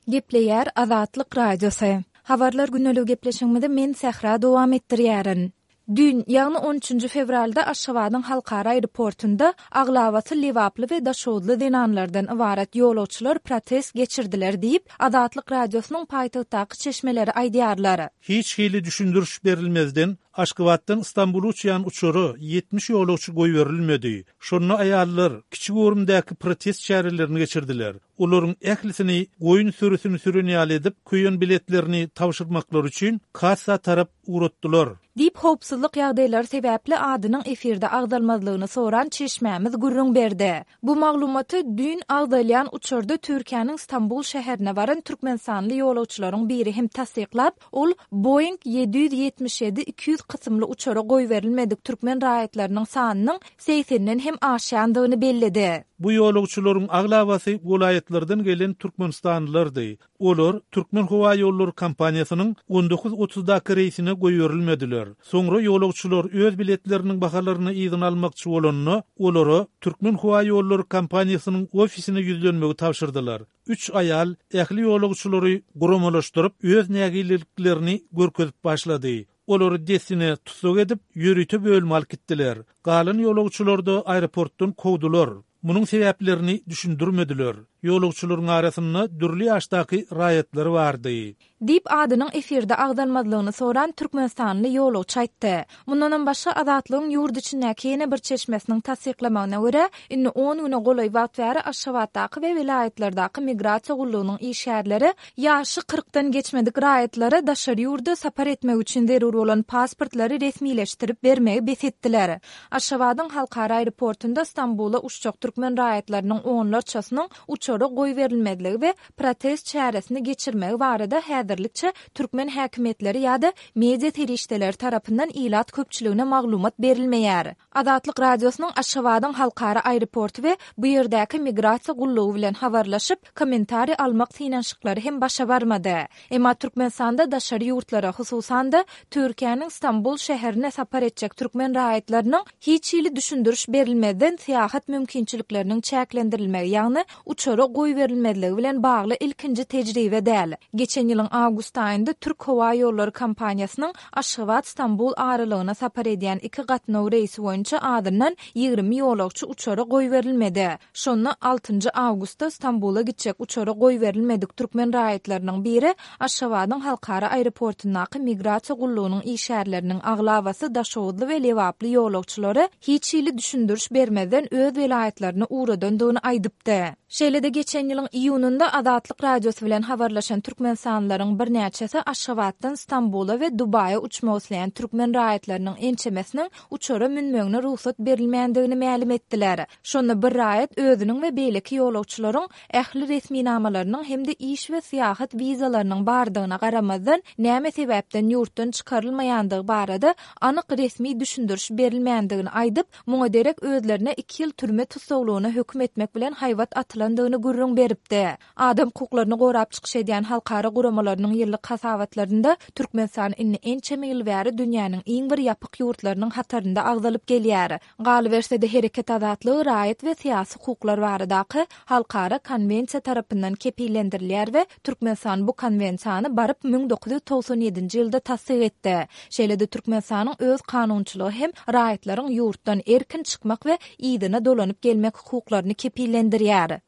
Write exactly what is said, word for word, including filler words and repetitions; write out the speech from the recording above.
Gepleýär Azatlyk Radiosy. Habarlar gündeligi gepleşigimizi men Sähra dowam etdirýärin. Düýn, ýagny on üçünji fewralda Aşgabadyň halkara aeroportunda aglabasy lebaply we daşoguzly zenanlardan ybarat ýolagçylar protest geçirdiler diýip, Azatlyk Radiosynyň paýtagtdaky çeşmeleri aýdýarlar. Hiç hili düşündiriş berilmezden Aşgabatdan Stambula uçýan uçara ýetmiş ýolagçy goýberilmedi. Şonda aýallar kiçi göwrümdäki protest çärelerini geçirdiler. Olaryň ählisini goýun sürüsini süren ýaly edip, köýen biletlerini tabşyrmaklary üçin kassa tarap ugratdylar. Diýip, howpsuzlyk ýagdaýlary sebäpli adynyň efirde agzalmazlygyny soran çeşmämiz gürrüň berdi. Bu maglumaty düýn agzalýan uçarda Türkiýäniň Stambul şäherine baran türkmenistanly ýolagçylaryň biri hem tassyklap, ol Boeing ýedi ýüz ýetmiş ýedi iki ýüz kysymly uçara goýberilmedik türkmen raýatlarynyň sanynyň segsenden hem aşýandygyny belledi. Bu ýolagçylaryň aglabasy welaýatlardan gelen türkmenistanlylardy. Olar Türkmen howa ýollary kompaniýasynyň on dokuz otuzdaky reýsine goýberilmediler. Soňra ýolagçylar öz biletleriniň bahalaryny yzyna almakçy bolanda, olara Türkmen howa ýollary kompaniýasynyň ofisine ýüzlenmegi tabşyrdylar. Üç aýal ähli ýolagçylary guramalaşdyryp, öz nägileliklerini görkezip başlady. Olary dessine tussag edip, ýörite bölüme alyp gitdiler. Galan ýolagçylar da aeroportdan kowdular. Munuň sebäplerini düşündirmediler. Ýolagçylaryň arasynda dürli ýaşdaky raýatlar bardy. Diýip, adynyň efirde agzalmazlygyny soran türkmenistanly ýolagçy aýtdy. Mundanam başga Azatlygyň ýurt içindäki ýene bir çeşmesiniň tassyklamagyna görä, indi on güne golaý wagt bäri Aşgabatdaky we welaýatlardaky migrasiýa gullugynyň işgärleri ýaşy kyrkdan geçmedik raýatlara daşary ýurda sapar etmek üçin zerur bolan pasportlary resmileşdirip bermegi bes etdiler. Aşgabadyň halkara aeroportunda Stambula uçjak türkmen raýatlarynyň onlarçasynyň uçara goýberilmezligi we protest çäresini geçirmegi barada häzirlikçe türkmen häkimiýetleri ýa-da media serişdeleri tarapyndan ilat köpçüligine maglumat berilmeýär. Azatlyk Radiosynyň Aşgabadyň halkara aeroporty we bu ýerdäki migrasiýa gullugy bilen habarlaşyp, kommentariý almak synanyşyklary hem başa barmady. Emma Türkmenistanda daşary ýurtlara, hususan-da Türkiýäniň Stambul şäherine sapar etjek türkmen raýatlarynyň hiç hili düşündiriş berilmezden syýahat mümkinçilikleriniň çäklendirilmegi, ýagny uçara goýberilmezligi bilen bagly ilkinji tejribe däl. Geçen ýylyň awgust aýynda Türk howa ýollary kompaniýasynyň Aşgabat-Stambul aralygyna sapar edýän iki gatnaw reýsi boýunça azyndan ýigrimi ýolagçy uçara goýberilmedi. Şonda altynjy awgustda Stambula gitjek uçara goýberilmedik türkmen raýatlarynyň biri Aşgabadyň halkara aeroportundaky migrasiýa gullugynyň işgärleriniň aglabasy Daşoguzly we Lebaply ýolagçylary hiç hili düşündiriş bermezden öz welaýatlaryna ugradandygyny aýdypdy. Şeýle-de geçen ýylyň iýunynda Azatlyk Radiosy bilen habarlaşan türkmenistanlylaryň birnäçesi Aşgabatdan Stambula we Dubaýa uçmak isleýän türkmen raýatlarynyň ençemesiniň uçara münmegine rugsat berilmändigini mälim etdiler. Şonda bir raýat özüniň we beýleki ýolagçylaryň ähli resminamalarynyň hem-de iş we syýahat wizalarynyň bardygyna garamazdan näme sebäpden ýurtdan çykarylmaýandygy barada anyk resmi düşündiriş berilmändigini aýdyp, muňa derek özlerine iki ýyl türme tussaglygyna höküm etmek bilen haýbat atylandygyny gürrüň beripdi. Adam hukuklaryny gorap çykyş edýän halkara guramalarynyň ýyllyk hasabatlarynda Türkmenistan indi ençeme ýyl bäri dünýäniň iň bir ýapyk ýurtlarynyň hatarynda agzalyp gelýär. Galyberse-de hereket azatlygy raýat we syýasy hukuklar baradaky halkara konwensiýa tarapyndan kepillendirilýär we Türkmenistan bu konwensiýany baryp müň dokuz ýüz togsan ýedinji ýylda tassyk etdi. Şeýle-de Türkmenistanyň öz kanunçylygy hem raýatlaryň ýurtdan erkin çykmak we yzyna dolanyp gelmek hukuklaryny kepillendirýär.